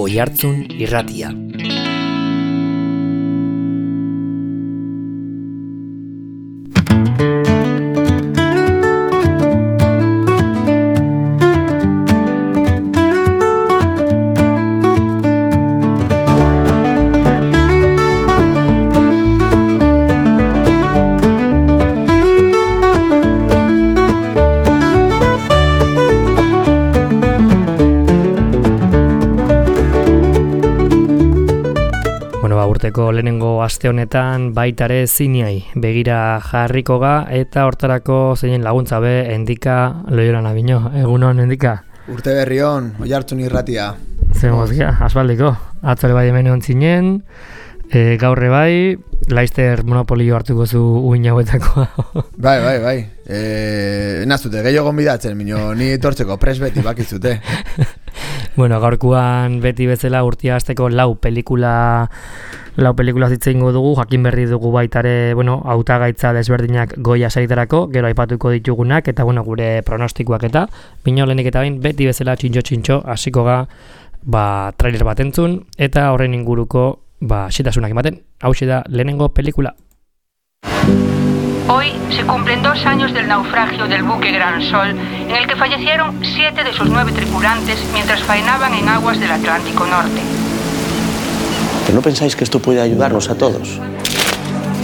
Oihartzun Irratia. Lehenengo aste honetan baitare ziniai begira jarriko ga eta hortarako zeinen laguntza be Endika Loiola Nabino. Egunon Endika. Urte berri on, Oihartzun Irratia. Zemozkia, asfaldiko. Atzore bai hemen ontzinen, gaurre bai, Laizter monopolio hartuko zu uin hauetakoa. Bai. Nazute, gehiago gonbidatzen, ni etortzeko pres beti bakizute. Bueno, gaurkoan beti bezala urtia hasteko lau pelikula zitzeingo dugu, jakin berri dugu baitare, hautagaitza desberdinak goia saritarako, gero aipatuko ditugunak, eta gure pronostikoak eta, bino lehenik eta bain, beti bezala txintxo, hasiko ga, trailer bat entzun, eta horren inguruko, xetasunak ematen, hauxe da lehenengo pelikula. Hoy se cumplen 2 años del naufragio del buque Gran Sol, en el que fallecieron 7 de sus 9 tripulantes mientras faenaban en aguas del Atlántico Norte. ¿Pero no pensáis que esto puede ayudarnos a todos?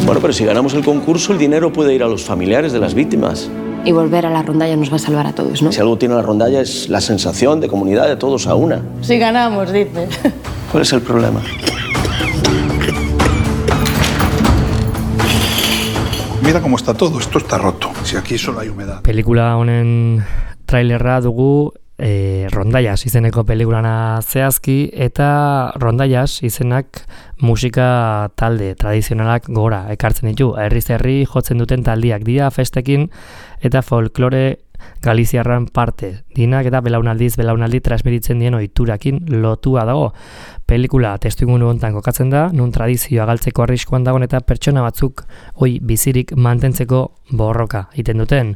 Bueno, pero si ganamos el concurso, el dinero puede ir a los familiares de las víctimas. Y volver a la rondalla nos va a salvar a todos, ¿no? Si algo tiene la rondalla es la sensación de comunidad de todos a una. Si ganamos, dice. ¿Cuál es el problema? Mira cómo está todo, esto está roto. Si aquí solo hay humedad. Pelikula honen trailerra dugu Rondallas izeneko pelikulana zehazki, eta Rondallas izenak musika talde tradizionalak gora ekartzen ditu. Herriz herri jotzen duten taldiak dira festekin eta folklore galiziarran parte. Dinak eta belaunaldi transmititzen dien ohiturakin lotua dago. Pelikula testuinguru hontan kokatzen da, nun tradizioa galtzeko arriskuan dagoen eta pertsona batzuk bizirik mantentzeko borroka egiten duten.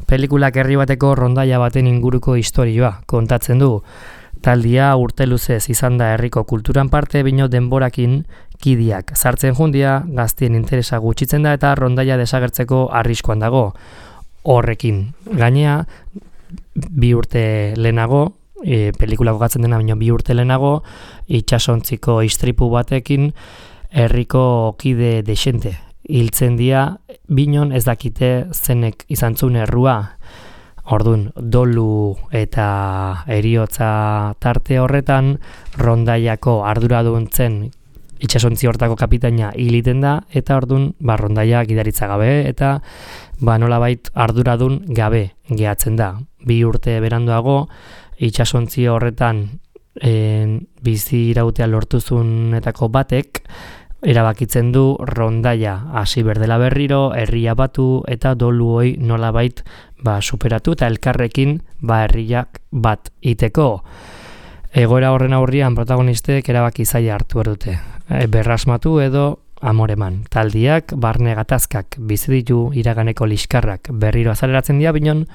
Pelikulak herri bateko rondaia baten inguruko istorioa kontatzen du. Taldia urte luzez izan da herriko kulturan parte, bino denborakin kidiak sartzen jundia, gaztien interesa gutxitzen da eta rondaia desagertzeko arriskuan dago. Horrekin gainea, 2 urte lehenago, pelikula kokatzen dena baino 2 urte lehenago, itsasontziko istripu batekin herriko kide desente hiltzen dira, binon ez dakite zenek izan zuen errua. Ordun, dolu eta heriotza tarte horretan, rondaiako arduraduntzen itsasontzi hortako kapitaina hiliten da, eta ordun, rondaia gidaritza gabe, eta nolabait arduradun gabe gehatzen da. 2 urte beranduago, itsasontzi horretan bizi irautea lortuzunetako batek, erabakitzen du rondaia hasi berdela berriro, herria batu eta dolu hoi nolabait superatu eta elkarrekin herriak bat iteko. Egoera horren aurrian protagonistek erabaki zaila hartu erdute. Berrasmatu edo amoreman. Taldiak, barne gatazkak bizi ditu iraganeko liskarrak berriro azaleratzen dira, binon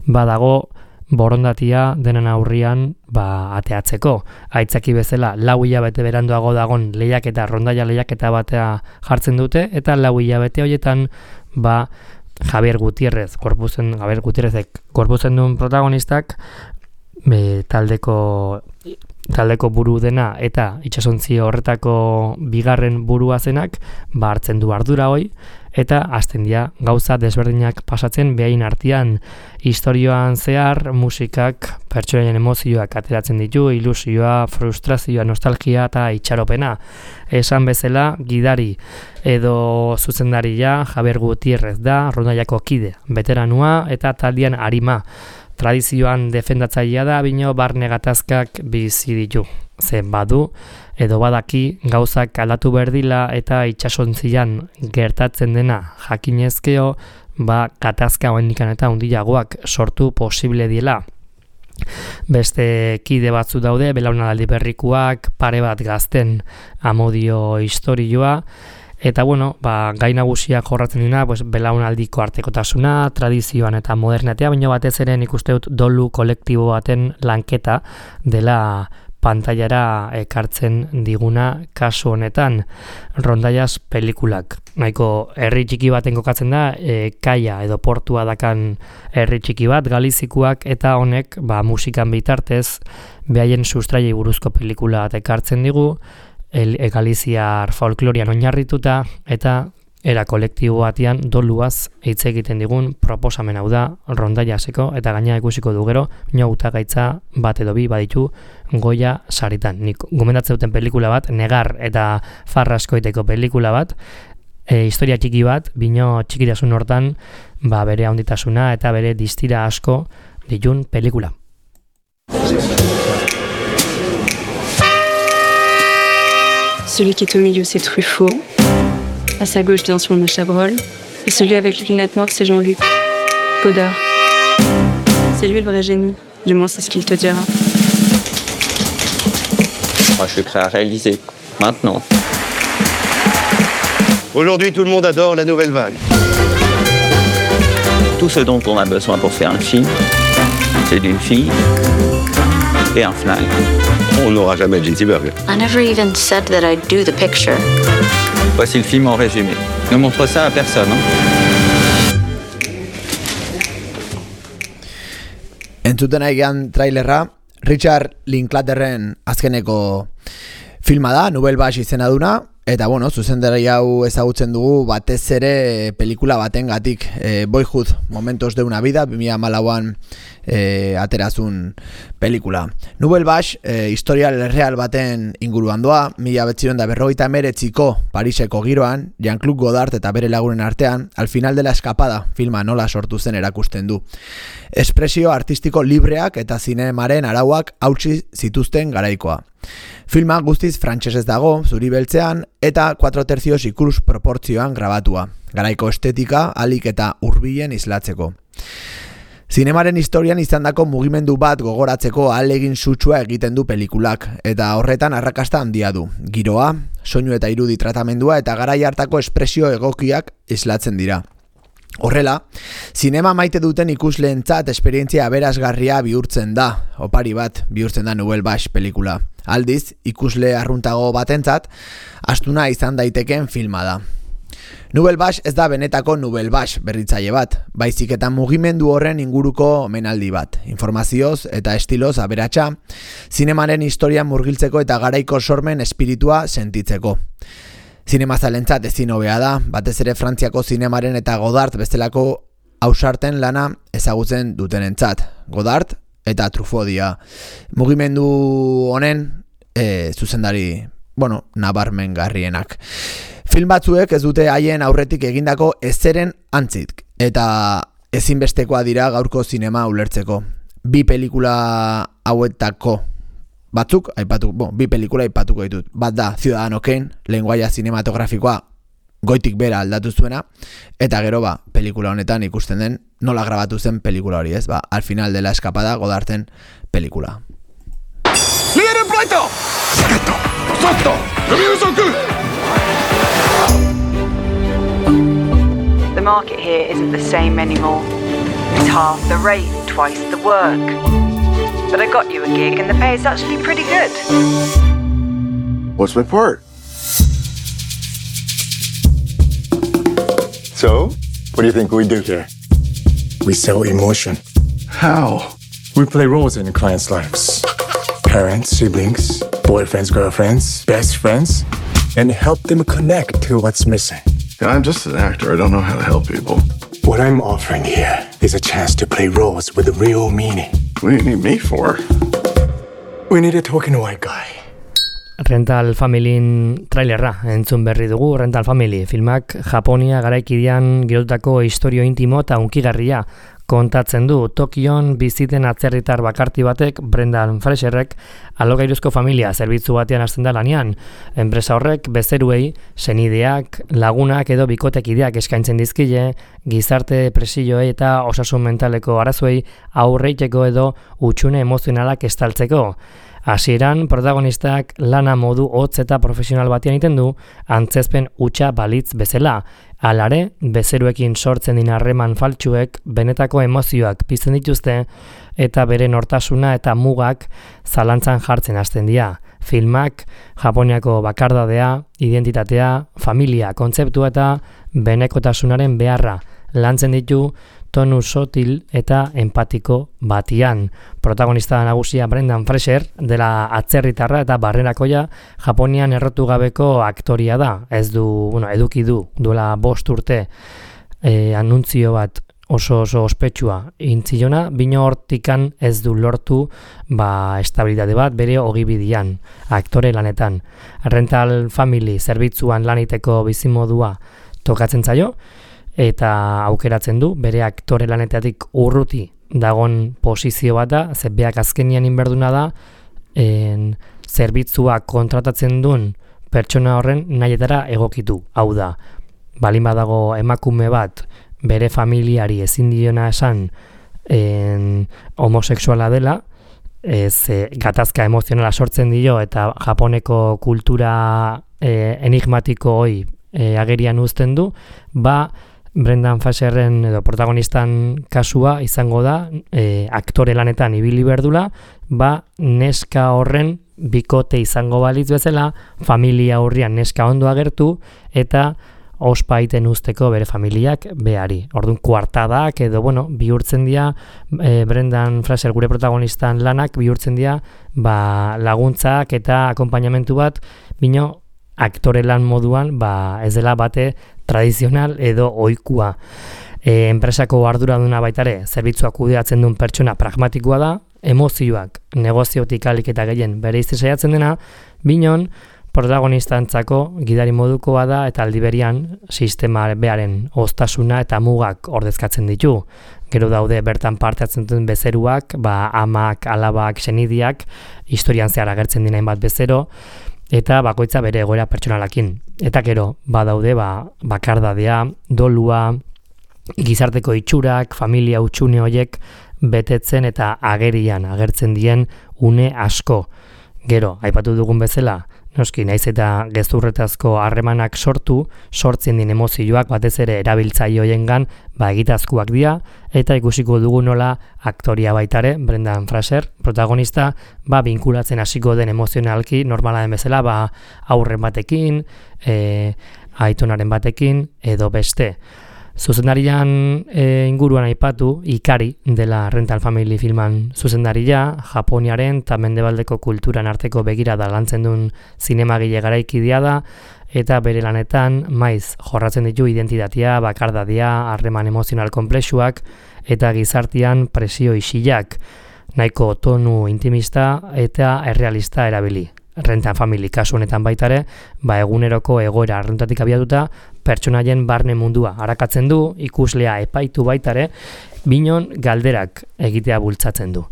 badago borondatia denen aurrian ateatzeko. Aitzaki bezala 4 hilabete beranduago dagon lehiaketa, rondaia lehiaketa batea jartzen dute, eta 4 hilabete horietan Javier Gutiérrezek gorputzen duen protagonistak taldeko buru dena eta itsasontzi horretako 2. burua zenak hartzen du ardura hoi, eta hasten dira gauza desberdinak pasatzen behain artean. Historioan zehar musikak pertsonaien emozioak ateratzen ditu, ilusioa, frustrazioa, nostalgia eta itxaropena. Esan bezala, gidari edo zuzendaria Javier Gutiérrez da, rondaiako kide, veteranua eta taldean arima. Tradizioan defendatzailea da, bino barne gatazkak bizi ditu. Ze badu edo badaki gauzak aldatu berdila eta itsasontzian gertatzen dena jakinezkeo, gatazka hoenikan eta hundiagoak sortu posible diela. Beste kide batzu daude, belaunaldi berrikuak, pare bat gazten amodio istorioa, Eta gai nagusiak jorratzen dira, belaunaldiko artekotasuna, tradizioan eta modernatea, baina batez ere nik uste dut dolu kolektibo baten lanketa dela pantailara ekartzen diguna kasu honetan Rondallas pelikulak. Nahiko herri txiki baten kokatzen da, kaia edo portua dakan herri txiki bat, galizikuak, eta honek musikan bitartez behaien sustraiei buruzko pelikula bat ekartzen digu, galiziar folklorian oinarrituta, eta era kolektibo batean doluaz hitz egiten digun proposamen hau da Rondallaseko, eta gaina ikusiko du gero hautagaitza bat edo bi baditu Goya saritan. Nik gomendatzen duten pelikula bat, Negar eta Farraskoiteko pelikula bat, historia txiki bat, bino txikitasun hortan bere handitasuna eta bere distira asko ditun pelikula. Celui qui est au milieu, c'est Truffaut. À sa gauche, bien sûr, le Chabrol. Et celui avec les lunettes noires, c'est Jean-Luc Godard. C'est lui le vrai génie. Du moins, c'est ce qu'il te dira. Moi, je suis prêt à réaliser. Maintenant. Aujourd'hui, tout le monde adore la nouvelle vague. Tout ce dont on a besoin pour faire un film, c'est d'une fille et un flingue. On n'aura jamais J.T. Burger. I never even said that I'd do the picture. Voici le film en résumé. Ne montre ça à personne. Entzuten aigean trailerra, Richard Linklaterren azkeneko filma da, Nouvelle Vague izena duna, eta zuzendari hau ezagutzen dugu batez ere pelikula batengatik, Boyhood, Momentos de una vida, 2014an aterazun pelikula. Nouvelle Vague, historial real baten inguruan doa, 1959ko Pariseko giroan, Jean-Claude Godard eta bere lagunen artean, Al final de la escapada filma nola sortu zen erakusten du. Espresio artistiko libreak eta zinemaren arauak hautsi zituzten garaikoa. Filma guztiz frantsesez dago, zuri beltzean, eta 4/3 ikus proportzioan grabatua. Garaiko estetika, alik eta hurbilen islatzeko. Zinemaren historian izandako mugimendu bat gogoratzeko ahalegin sutsua egiten du pelikulak, eta horretan arrakasta handia du. Giroa, soinu eta irudi tratamendua eta garai hartako espresio egokiak islatzen dira. Horrela, zinema maite duten ikusleentzat esperientzia aberasgarria bihurtzen da, opari bat bihurtzen da Nouvelle Vague pelikula. Aldiz, ikusle arruntago batentzat, astuna izan daiteken filma da. Nouvelle Vague ez da benetako Nouvelle Vague berritzaile bat, baizik eta mugimendu horren inguruko omenaldi bat, informazioz eta estiloz aberatsa, zinemaren historian murgiltzeko eta garaiko sormen espiritua sentitzeko. Zinemazalentzat ezin hobea da, batez ere Frantziako zinemaren eta Godard bestelako ausarten lana ezagutzen dutenentzat. Godard eta Truffaut dira. Mugimendu honen zuzendari, nabarmengarrienak. Film batzuek ez dute haien aurretik egindako ezeren antzik, eta ezinbestekoa dira gaurko zinema ulertzeko. Bi pelikula hauetako batzuk, bi pelikula aipatuko ditut. Bat da Ciudadano Kane, lenguaia zinematografikoa goitik bera aldatu zuena, eta gero pelikula honetan ikusten den nola grabatu zen pelikula hori, ez? Al final de la escapada Godarden pelikula. ¡Líder en pleito! ¡Sacto! ¡Sotto! The market here isn't the same anymore. It's half the rate, twice the work. But I got you a gig and the pay is actually pretty good. What's my part? So, what do you think we do here? We sell emotion. How? We play roles in clients' lives. Parents, siblings, boyfriends, girlfriends, best friends, and help them connect to what's missing. Yeah, I'm just an actor. I don't know how to help people. What I'm offering here is a chance to play roles with a real meaning. What do you need me for? We need a token white guy. Rental Familyn trailerra entzun berri dugu. Rental Family filmak Japonia garaikidean girotutako istorio intimo eta hunkigarria kontatzen du. Tokion biziten atzerritar bakarti batek, Brendan Fraserrek, alokairuzko familia zerbitzu batean hasten da lanean. Enpresa horrek bezeruei, senideak, lagunak edo bikotekideak eskaintzen dizkile, gizarte presioei eta osasun mentaleko arazoei aurreiteko edo hutsune emozionalak estaltzeko. Hasieran protagonistak lana modu hotz eta profesional batean egiten du, antzezpen hutsa balitz bezala. Alare, bezeruekin sortzen din harreman faltsuek benetako emozioak pizten dituzte eta bere nortasuna eta mugak zalantzan jartzen hasten dira. Filmak Japoniako bakardadea, identitatea, familia kontzeptua eta benekotasunaren beharra lantzen ditu tonu sotil eta empatiko batian. Protagonista nagusia Brendan Fraser dela atzerritarra eta barrerakoia Japonian errotu gabeko aktoria da. Eduki duela 5 urte anuntzio bat oso ospetsua intzilona, bino hortikan ez du lortu estabilitate bat bere ogibidian, aktore lanetan. Rental Family zerbitzuan laniteko bizimodua tokatzen zaio, eta aukeratzen du bere aktore lanetatik urruti dagon posizio bat da, beak azkenian inberduna da, zerbitzua kontratatzen duen pertsona horren nahietara egokitu. Hau da, balin badago emakume bat bere familiari ezin diona esan homosexuala dela, gatazka emozionala sortzen dio eta Japoneko kultura enigmatiko hoi agerian uzten du, Brendan Fraserren edo protagonistan kasua izango da aktore lanetan ibili berdula, neska horren bikote izango balitz bezala, familia aurrian neska ondo agertu eta ospaiten usteko bere familiak behari. Orduan kuartadak edo bihurtzen dira Brendan Fraser gure protagonistan lanak bihurtzen dira laguntzak eta akonpainamentu bat, bino aktore lan moduan ez dela bate tradizional edo ohikua. Enpresako arduraduna baitare zerbitzuak kudeatzen duen pertsona pragmatikoa da, emozioak negoziotik alik eta gehien bere saiatzen dena, binon protagonistantzako gidari modukoa da eta aldiberian sistema bearen oztasuna eta mugak ordezkatzen ditu. Gero daude bertan parte hartzen duten bezeruak, amak, alabak, senidiak, historian zehar agertzen dinain bat bezero, eta bakoitza bere egoera pertsonalakin. Eta gero, badaude bakardadea, dolua, gizarteko itxurak, familia utxune horiek betetzen eta agerian agertzen dien une asko. Gero, aipatu dugun bezala, noski naiz eta gezurretazko harremanak sortzen din emozioak batez ere erabiltzaile hoiengan egitazkoak dira, eta ikusiko dugu nola aktoria baitare, Brendan Fraser, protagonista, binkulatzen hasiko den emozionalki, normala den bezala, aurren batekin, aitonaren batekin, edo beste. Zuzendarian inguruan aipatu, Ikari dela Rental Family filman zuzendaria, Japoniaren eta mendebaldeko kulturan arteko begirada lantzen duen zinemagile garaikidia da, eta bere lanetan maiz jorratzen ditu identitatea, bakardadia, harreman emozional konplexuak eta gizartean presio isilak, nahiko tonu intimista eta errealista erabili. Rental Family kasu honetan baitare, eguneroko egoera arruntatik abiatuta, pertsonaien barne mundua arakatzen du, ikuslea epaitu baitare, binon galderak egitea bultzatzen du.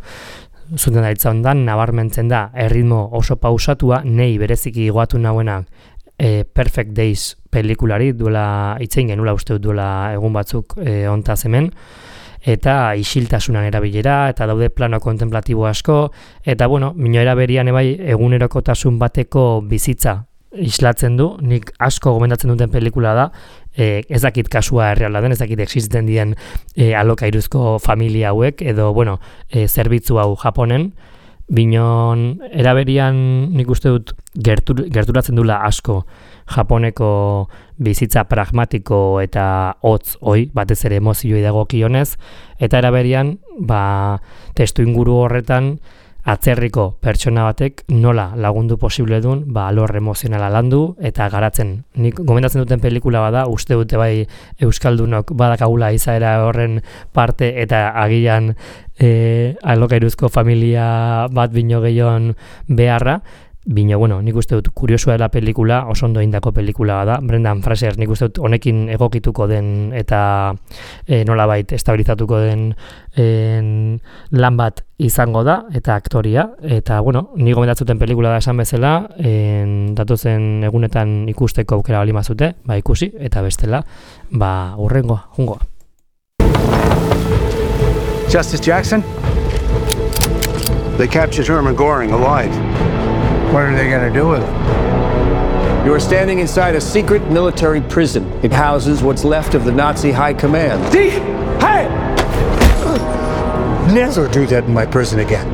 Zuzendaritza hondan nabarmentzen da erritmo oso pausatua, nei bereziki goatu nauena Perfect Days pelikulari, duela itzein genula uste dut duela egun batzuk hontaz hemen, eta isiltasunan erabilera, eta daude plano kontemplatibo asko, eta mino eraberian egunerokotasun bateko bizitza islatzen du, nik asko gomendatzen duten pelikula da, ez dakit kasua erreala den, ez dakit existen dien alokairuzko familia hauek, edo zerbitzu hau Japonen, binon eraberian nik uste dut gerturatzen dula asko Japoneko bizitza pragmatiko eta hotz hoi, batez ere emozioi dagokionez, eta eraberian testu inguru horretan atzerriko pertsona batek nola lagundu posible duen alor emozionala landu eta garatzen. Nik gomendatzen duten pelikula bada, uste dute euskaldunok badakagula izaera horren parte eta agian alokairuzko familia bat bino gehion beharra, bino, nik uste dut kuriosua dela pelikula, oso ondo indako pelikula da. Brendan Fraser nik uste dut honekin egokituko den eta nolabait estabilizatuko den lan bat izango da, eta aktoria, eta nik gomendatzuten pelikula da esan bezala, datozen egunetan ikusteko aukera bali mazute, ikusi, eta bestela, hurrengoa, jungoa. Justice Jackson? They captured Herman Goring alive. What are they going to do with him? You are standing inside a secret military prison. It houses what's left of the Nazi high command. Hey! Never do that in my prison again.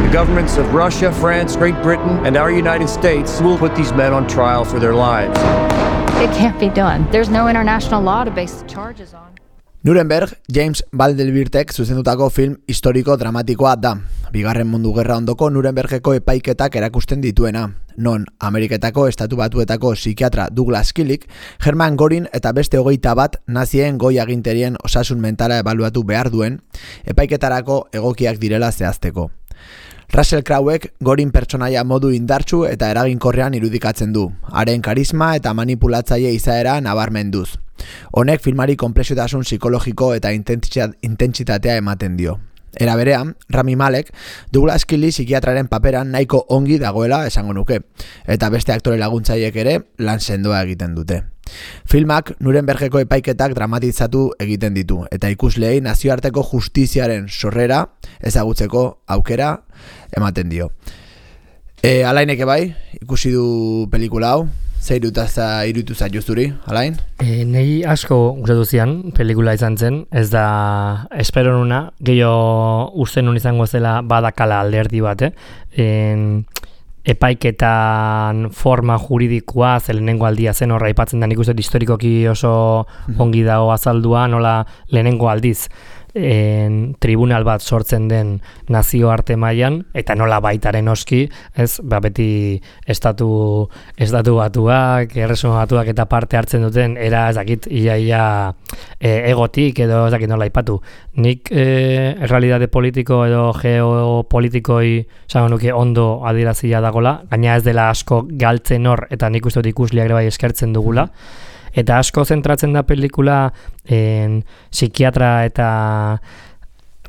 The governments of Russia, France, Great Britain, and our United States will put these men on trial for their lives. It can't be done. There's no international law to base the charges on. Nuremberg, James Vanderbiltek zuzendutako film historiko dramatikoa da. Bigarren Mundu Gerra ondoko Nurembergeko epaiketak erakusten dituena, non Ameriketako Estatu Batuetako psikiatra Douglas Killick, Hermann Göring eta beste 21 nazien goi aginterien osasun mentala ebaluatu behar duen, epaiketarako egokiak direla zehazteko. Russell Crowe-ek Göring pertsonaia modu indartsu eta eraginkorrean irudikatzen du, haren karisma eta manipulatzaile izaera nabarmenduz. Honek filmari konplexutasun psikologiko eta intentsitatea ematen dio. Era berean, Rami Malek Douglas Killick psikiatraren paperan nahiko ongi dagoela esango nuke, eta beste aktore laguntzaileek ere lan sendoa egiten dute. Filmak Nurembergeko epaiketak dramatizatu egiten ditu, eta ikusleei nazioarteko justiziaren sorrera ezagutzeko aukera ematen dio. Alaineke bai, ikusi du pelikula hau, zer iruditu zaitu zuri, Alain? Nei asko gustatu zian pelikula izan zen, ez da espero nuna, gehiago uste nun izango zela badakala alderdi bat, epaiketan forma juridikoa lehenengo aldia zen horra aipatzen da, nik uste historikoki oso ongi dago azaldua, nola lehenengo aldiz tribunal bat sortzen den nazioarte mailan eta nola baitaren oski, ez, beti estatu batuak, erresuma batuak eta parte hartzen duten era ez dakit ia egotik edo ez dakit nola aipatu. Nik errealitate politiko edo geopolitikoi esango nuke ondo adierazia dagola, gaina ez dela asko galtzen hor eta nik uste dut ikusleak ere bai eskertzen dugula. Eta asko zentratzen da pelikula psikiatra eta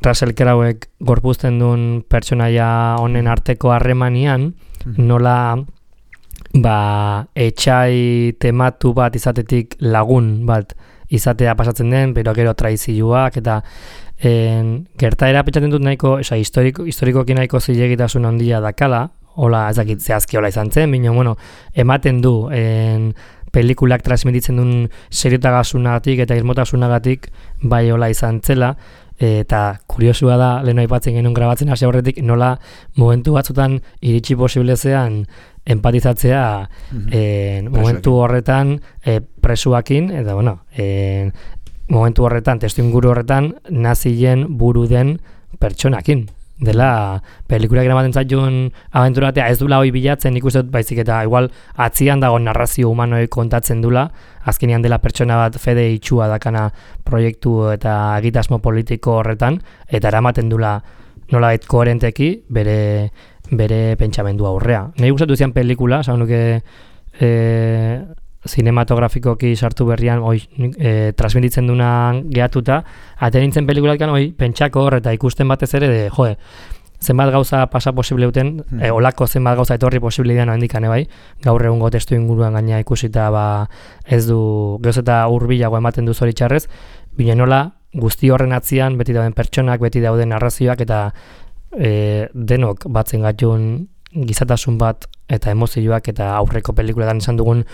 Russell Crowe-ek gorpuzten duen pertsonaia honen arteko harremanian, nola etxai tematu bat izatetik lagun bat izatea pasatzen den, pero gero traizioak eta gertaera pentsatzen dut nahiko, historikoki nahiko zilegitasun handia dakala, hola ez dakit zehazki hola izan zen, baina bueno, ematen du pelikulak transmititzen duen seriotasunagatik eta irmotasunagatik bai hola izan zela, eta kuriosua da, lehen aipatzen genuen grabatzen hasi aurretik, nola momentu batzutan iritsi posible zean empatizatzea momentu horretan presuakin, eta bueno, momentu horretan, testuinguru horretan, nazien buru den pertsonakin. Dela, pelikulak eramaten zaitun abenturatea ez dula hoi bilatzen, nik uste dut baizik eta igual atzian dago narrazio humanoik kontatzen dula, azkenean dela pertsona bat fede itxua dakana proiektu eta egitasmo politiko horretan, eta eramaten dula nolabait koherenteki bere pentsamendua aurrea. Nahi gustatu zian pelikula, esan nuke zinematografikoki sartu berrian transmititzen dunan gehatuta, atenintzen pelikulatkan pentsako hor eta ikusten batez ere zenbat gauza pasa posible duten, olako zenbat gauza etorri posible dian handikane bai, gaur egungo testu inguruan gaina ikusita ez du gehoz eta hurbilago ematen du zoritxarrez, bine nola guzti horren atzian beti dauden pertsonak, beti dauden narrazioak eta denok batzen gatun gizatasun bat eta emozioak eta aurreko pelikuletan esan dugun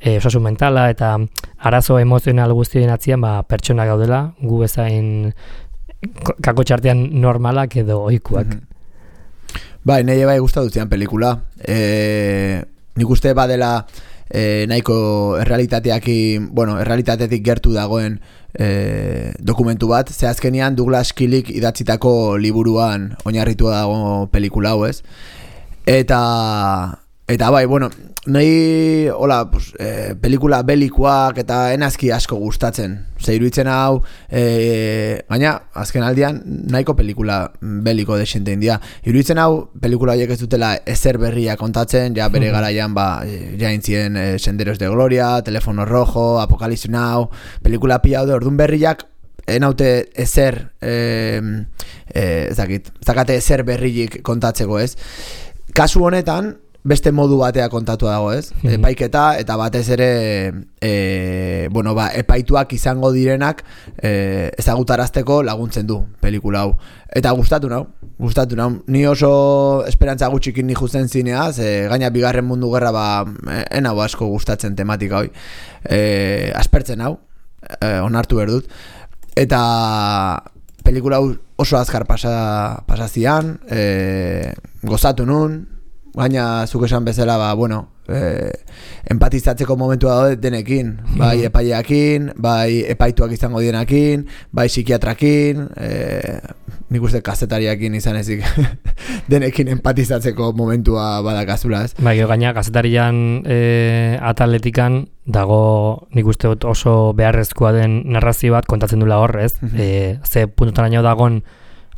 osasun mentala eta arazo emozional guztien atzian pertsona gaudela, gu bezain kako txartean normalak edo ohikoak. Bai, nahi bai gustatu zian pelikula. Nik uste badela nahiko errealitatetik gertu dagoen dokumentu bat, ze azkenean Douglas Killick idatzitako liburuan oinarritua dago pelikula hau, ez? Eta bai, bueno, nahi pelikula belikoak eta enazki asko gustatzen. Ze iruditzen hau, gaina, azken aldian, nahiko pelikula beliko desente india. Iruditzen hau, pelikula horiek ez dutela ezer berria kontatzen, ja bere garaian jaintzien Senderos de Gloria, Telefono Rojo, Apocalipsis Now, pelikula pila hau ordun berriak, enaute ezer, zakate ezer berriik kontatzeko, ez? Kasu honetan, beste modu batea kontatua dago, ez? Epaiketa eta batez ere epaituak izango direnak ezagutarazteko laguntzen du pelikula hau. Eta gustatu nau. Ni oso esperantza gutxikin ni justen zineaz, gaina bigarren mundu gerra enau asko gustatzen tematika hoi. Aspertzen hau, onartu berdut. Eta pelikula hau oso azkar pasazian, gozatu nun, gaina zuk esan bezala, empatizatzeko momentua daude denekin, bai epaileakin, bai epaituak izango dienakin, bai psikiatrakin, nik uste kazetariakin izan ezik denekin empatizatzeko momentua badakazula, ez? Bai, gaina kazetarian ataletikan dago nik uste dut oso beharrezkoa den narrazio bat kontatzen dula hor, ez? Ze puntutaraino dagon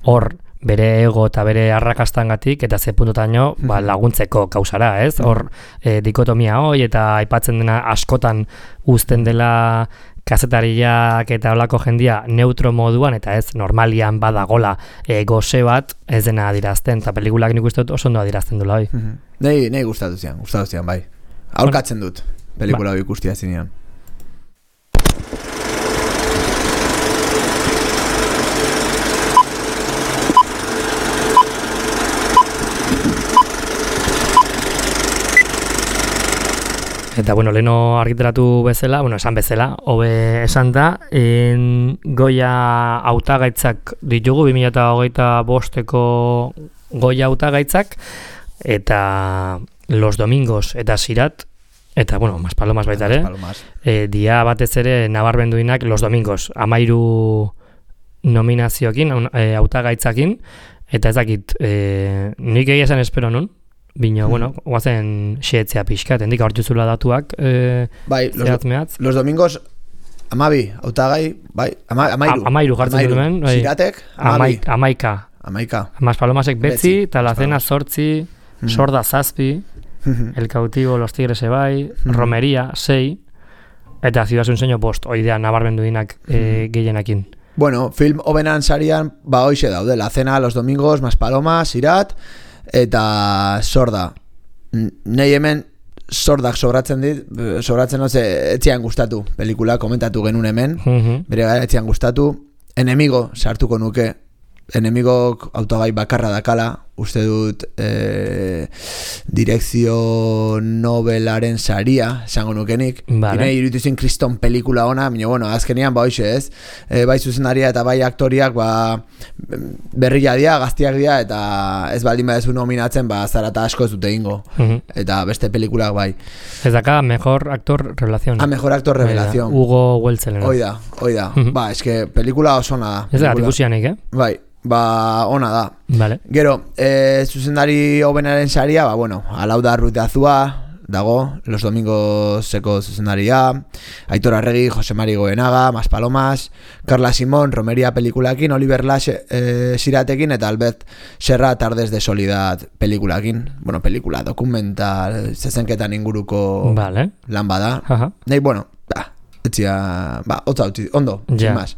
hor bere ego eta bere arrakastangatik eta ze puntutaraino laguntzeko kausara, ez? Hor dikotomia hoi eta aipatzen dena askotan uzten dela kazetariak eta holako jendia neutro moduan eta ez normalian badagola goze bat ez dena adirazten eta pelikulak nik uste dut oso ondo adirazten dula hoi. Nei gustatu zian, bai. Aurkatzen dut pelikula hori ikustia zinean. Eta, leheno argitaratu bezala, esan bezala, hobe esan da, Goya hautagaitzak ditugu, 2025ko Goya hautagaitzak, eta Los Domingos eta Sirat, eta, Maspalomas baita ere, dia batez ere nabarmenduinak Los Domingos, 13 nominazioekin, hautagaitzakin, eta ez dakit, nik egia esan espero nun, bino, guazen xeetzea pixka, hendik aurtuzula datuak zehatz-mehatz. Los Domingos, 12, hautagai, amairu jartzen duen, Siratek, 11. Maspalomasek betzi, Talacena 8, Sorda 7, El Cautivo, Los Tigres ebai, Romería 6, eta Ciudad Sueño 5, oidea nabarmenduinak gehienakin. Film hobenan sarian, hoixe daude, La Cena, Los Domingos, Maspalomas, Sirat, eta Sorda. Nei hemen Sordak sobratzen etzian gustatu pelikula, komentatu genuen hemen, bere gara etzian gustatu. Enemigo sartuko nuke, Enemigok autogai bakarra dakala, uste dut direkzio Nobelaren saria, esango nukenik. Vale. Iruditu zen kriston pelikula ona, azkenean hoxe ez. Bai zuzendaria eta bai aktoriak berria dira, gaztiak dira, eta ez baldin badezu nominatzen, zarata asko ez dute ingo. Eta beste pelikulak bai. Ez daka, mejor actor revelación. Mejor actor revelación. Hugo Weltzelen. Oida. Eske pelikula oso ona da. Ez da, ikusianik, Bai. Ona da. Vale. Gero, zuzendari hobenaren saria, Alauda Ruiz de Azua dago, Los Domingoseko zuzendaria, Aitor Arregi, Jose Mari Goenaga, Maspalomas, Carla Simón, Romería pelikulakin, Oliver Lash Siratekin eta Albert Serra Tardes de Soledad pelikulakin. Pelikula, dokumental, zezenketan inguruko lan bada. Nei, etzia, ondo, sin más.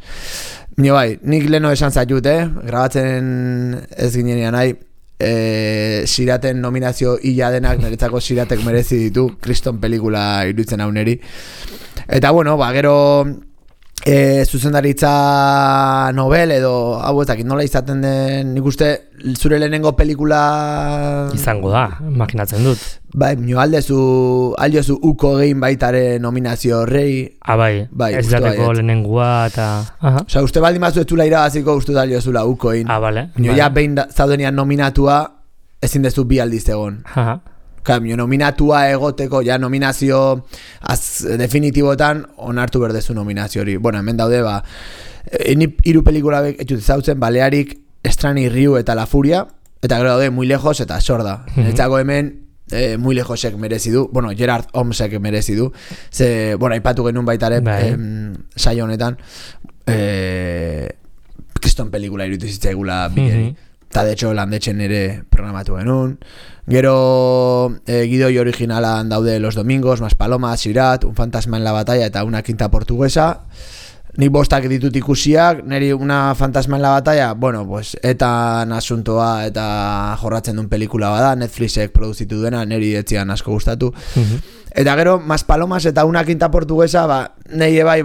Nik leno esan zaitut, grabatzen ez ginean nahi, Siraten nominazio hila denak, niretzako Siratek merezi ditu, kriston pelikula iruditzen hau neri. Eta gero zuzendaritza Nobel edo hau ezakit nola izaten den, nik uste zure lehenengo pelikula izango da, imaginatzen dut. Bai, aldezu uko egin baitare nominazio horrei. Bai, ez dateko lehenengua eta... Osa, uste baldin bazu ez dula irabaziko, uste da aldeuzula uko egin. Bale. Ja behin zaudenian nominatua, ezin dezu bi aldiz egon. Nominatua egoteko, nominazio definitibotan onartu berdezu nominazio hori. Hemen daude, hiru pelikula etxut zautzen, Balearik, Estrani, Riu eta La Furia, eta gero daude Muy Lejos eta Sorda. Etzako hemen Muy Lejosek merezi du, Gerard Holmesek merezi du, aipatu genuen baitare saio honetan, kriston pelikula irutu zitzaigula bigeri. Eta de hecho landetxen ere programatu genuen. Gero gidoi originalan daude Los Domingos, Maspalomas, Sirat, Un fantasma en la batalla eta Una quinta portuguesa. nik 5 ditut ikusiak, niri una fantasma en la batalla, bueno, pues etan asuntoa eta jorratzen duen pelikula bada, Netflixek produzitu duena, niri etzian asko gustatu. Eta gero, Mas Palomas eta Una Quinta Portuguesa, nahi bai,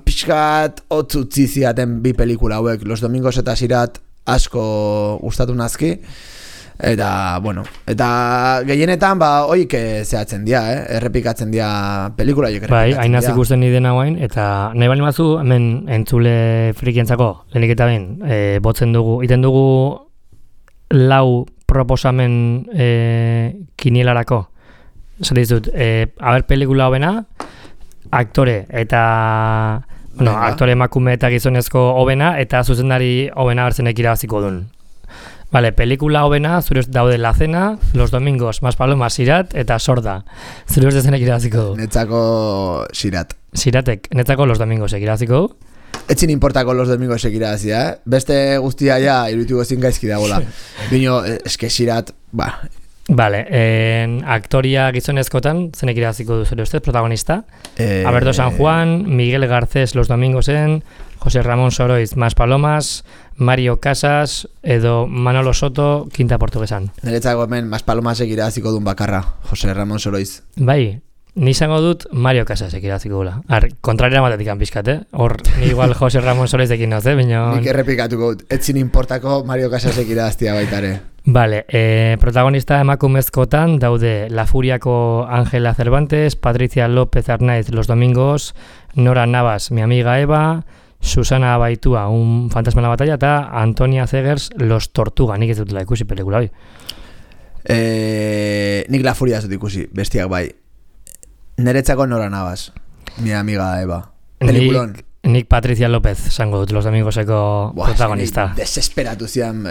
pixkat otzutzi ziaten bi pelikula hauek, Los Domingos eta Sirat asko gustatu nazki. Eta, bueno, eta gehienetan, oik zehatzen dia, errepikatzen dia pelikula, joik errepikatzen dia. Bai, hainaz ikusten nidena guain, eta nahi bali mazu, hemen entzule frikientzako, lehenik eta ben, botzen dugu, iten dugu 4 proposamen kinielarako. Zer dizut, haber pelikula hobena, aktore eta, bueno, aktore emakume eta gizonezko hobena, eta zuzendari hobena bertzenek irabaziko duen. Vale, pelikula hobena, zure daude La Cena, Los Domingos, Mas Palomas, Sirat eta Sorda. Zure dezenek irabaziko du. Netzako Sirat. Siratek, netzako Los Domingosek irabaziko du. Etzin importako Los Domingosek irabazia, Beste guztia ja irutuko zin gaizki dagoela. Bino, eske Sirat, Vale, aktoria gizonezkotan, zenek irabaziko du zure ustez, protagonista? Alberto San Juan, Miguel Garcés Los Domingosen, José Ramón Soroiz Mas Palomas, Mario Casas edo Manolo Soto Quinta Portuguesan. Niretzako hemen Mas Palomasek irabaziko duen bakarra, José Ramón Soroiz. Bai, ni izango dut Mario Casasek irabaziko gula. Kontrariera matetik pixkat, Hor, ni igual José Ramón Soroiz ekin noz, Nik errepikatuko dut, etzin importako Mario Casasek irabaztia baitare. Vale, protagonista emakumezkotan daude La Furiako Ángela Cervantes, Patricia López Arnaiz Los Domingos, Nora Navas Mi Amiga Eva, Susana Baitua Un Fantasma en la Batalla eta Antonia Zegers Los Tortuga. Nik ez dutela ikusi pelikula hoi. Nik La Furia ez dut ikusi, bestiak bai. Neretzako Nora Navas Mi Amiga Eva. Pelikulon. Nik Patricia López zango dut Los Domingoseko protagonista. Desesperatu zian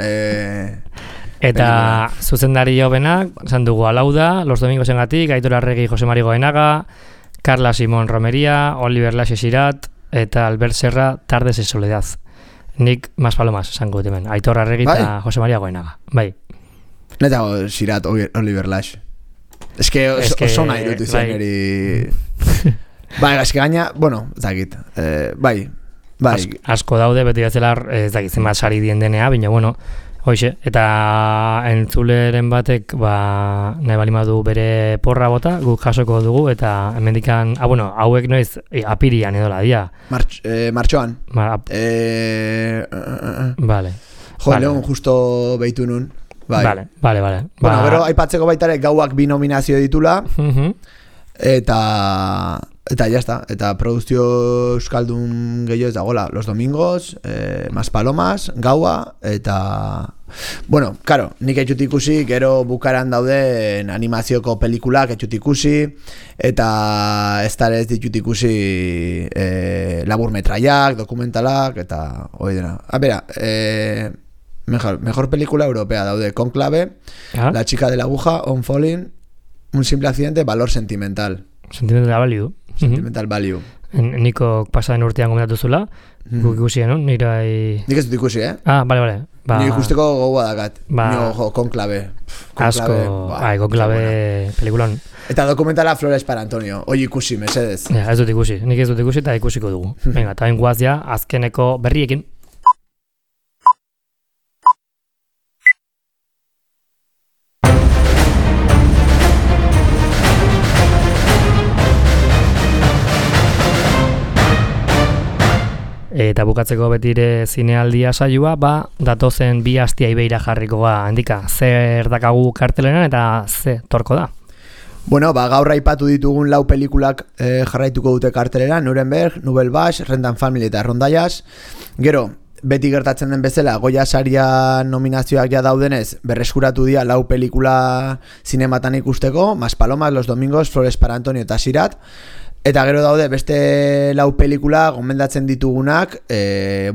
eta zuzendari hobenak, zan dugu Alauda, Los Domingosengatik, Aitor Arregi, Jose Mari Goenaga, Carla Simón Romería, Oliver Laxe Sirat, eta Albert Serra, Tardes en Soledad. Nik Mas Palomas zango dut hemen, Aitor Arregi eta Jose Maria Goenaga. Bai. Netago Sirat, Oliver Laxe. Ez que oso nahi dut izan eri... Bai, eske gaina, bueno, zakit. Bai. Asko daude, beti bezala ez dakit zenbat sari dien denea, baina bueno, hoize, eta entzuleren batek nahi balimadu bere porra bota, guk jasoko dugu, eta hemendikan, bueno, hauek noiz apirian edola dia. Martxoan. Vale. Leon justo behitu nun. Vale. Bueno, gero aipatzeko baitare gauak 2 nominazio ditula, eta jazta, eta produzio euskaldun gehiago ez dagoela, Los Domingos, Mas Palomas, Gaua, eta... Bueno, karo, nik etxut ikusi, gero bukaran dauden animazioko pelikulak etxut ikusi, eta ez ditut ikusi laburmetraiak, dokumentalak, eta hoi dena. Bera, mejor película europea daude, Conclave, La chica de la aguja, On Falling, Un simple accidente, Valor sentimental. Sentimental value. Sentimental value. Niko pasaden urtean gomendatu zula, guk ikusien, no? Nik ez dut ikusi, Bale. Nik ikusteko gogoa dakat. Nio, Conclave. Asko, Conclave pelikulan. Eta dokumentala Flores para Antonio. Hoi ikusi, mesedez. Ez dut ikusi. Nik ez dut ikusi eta ikusiko dugu. Venga, eta guaz ja, azkeneko berriekin. Eta bukatzeko betire zinealdia saioa, datozen 2 astia ibeira jarriko handika. Zer dakagu kartelenan eta ze torko da? Bueno, gaur aipatu ditugun 4 pelikulak jarraituko dute karteleran, Nuremberg, Nouvelle Vache, Rendan Family eta Rondallas. Gero, beti gertatzen den bezala, Goya saria nominazioak ja daudenez, berreskuratu dira 4 pelikula zinematan ikusteko, Mas Palomas, Los Domingos, Flores para Antonio eta Sirat. Eta gero daude beste 4 pelikula gomendatzen ditugunak,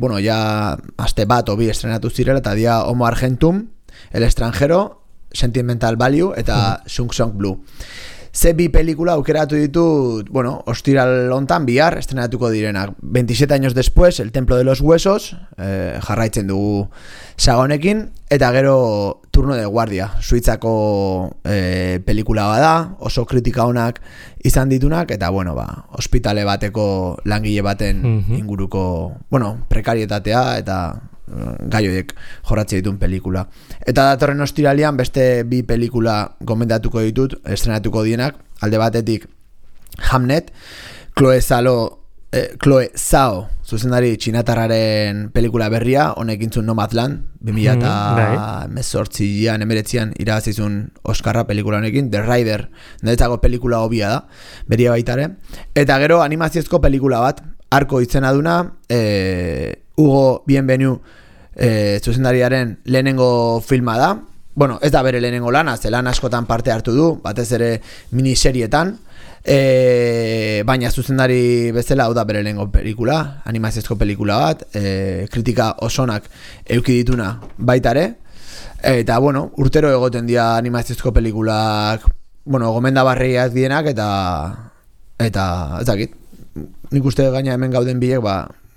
bueno, ja aste bat o 2 estrenatu zirela, eta dia Homo Argentum, El extranjero, Sentimental Value eta Sung Song Blue. Ze 2 pelikula aukeratu ditut, bueno, ostiral hontan bihar estrenatuko direnak. 27 años después, El templo de los huesos, jarraitzen dugu saga honekin, eta gero Turno de Guardia, Suitzako pelikula bada, oso kritika onak izan ditunak, eta bueno, ospitale bateko langile baten inguruko, prekarietatea eta gai horiek jorratzen dituen pelikula. Eta datorren ostiralean beste 2 pelikula gomendatuko ditut, estrenatuko dienak, alde batetik Hamnet, Chloe Zhao zuzendari txinatarraren pelikula berria, honek intzun Nomadland, 2018an, 19an irabazizun Oscarra pelikula honekin, The Rider, niretzako pelikula hobia da, beria baitare. Eta gero animaziozko pelikula bat, Arko izena duna, Hugo Bienvenu zuzendariaren lehenengo filma da. Bueno, ez da bere lehenengo lana, zelan askotan parte hartu du, batez ere miniserietan, baina zuzendari bezala hau da bere lehenengo pelikula, animaziozko pelikula bat, kritika osonak eduki dituna baitare, eta bueno, urtero egoten dira animaziozko pelikulak, gomendabarriak dienak, eta ez dakit, nik uste gaina hemen gauden biek,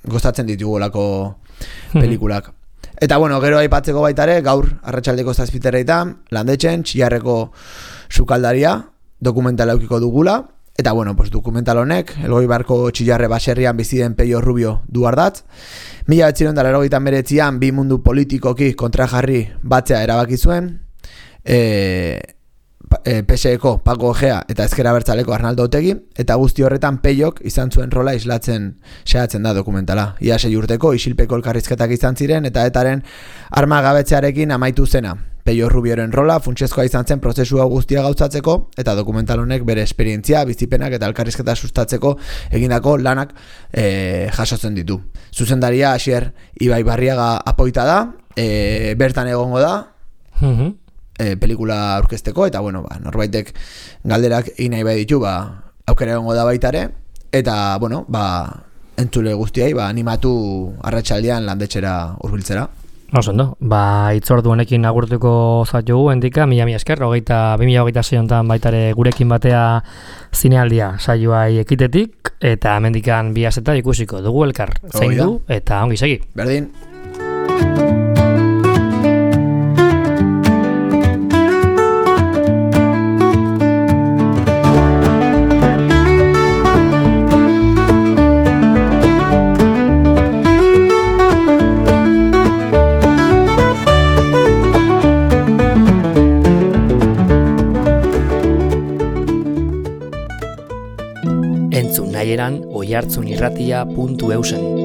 gostatzen ditugolako pelikulak. Eta gero aipatzeko baitare, gaur arratsaldeko 7:00 Landetxen, Txillarreko sukaldaria dokumentala eukiko dugula. Eta dokumental honek, Elgoibarko Txillarre baserrian bizi den Peio Rubio du ardatz. 1989an 2 mundu politikoki kontrajarri batzea erabaki zuen. PSeko Paco Egea eta Ezker Abertzaleko Arnaldo Otegi, eta guzti horretan Peiok izan zuen rola islatzen xeatzen da dokumentala. Ia 6 urteko isilpeko elkarrizketak izan ziren eta etaren armagabetzearekin amaitu zena. Peio Rubioren rola funtsezkoa izan zen prozesu hau guztia gauzatzeko, eta dokumental honek bere esperientzia, bizipenak eta elkarrizketa sustatzeko egindako lanak jasotzen ditu. Zuzendaria Asier Ibaibarriaga Apoita da, bertan egongo da, pelikula aurkezteko, eta norbaitek galderak egin nahi bai ditu, aukera egongo da baitare, eta entzule guztiai animatu arratsaldean Landetxera hurbiltzera. Ondo, itzordu honekin agurtuko zatugu, endika, mila esker, 2026 honetan baitare gurekin batea zinealdia saioai ekitetik, eta hemendikan 2 asteta ikusiko dugu elkar, zein du, eta ongi segi. Berdin. Oihartzunirratia.eusen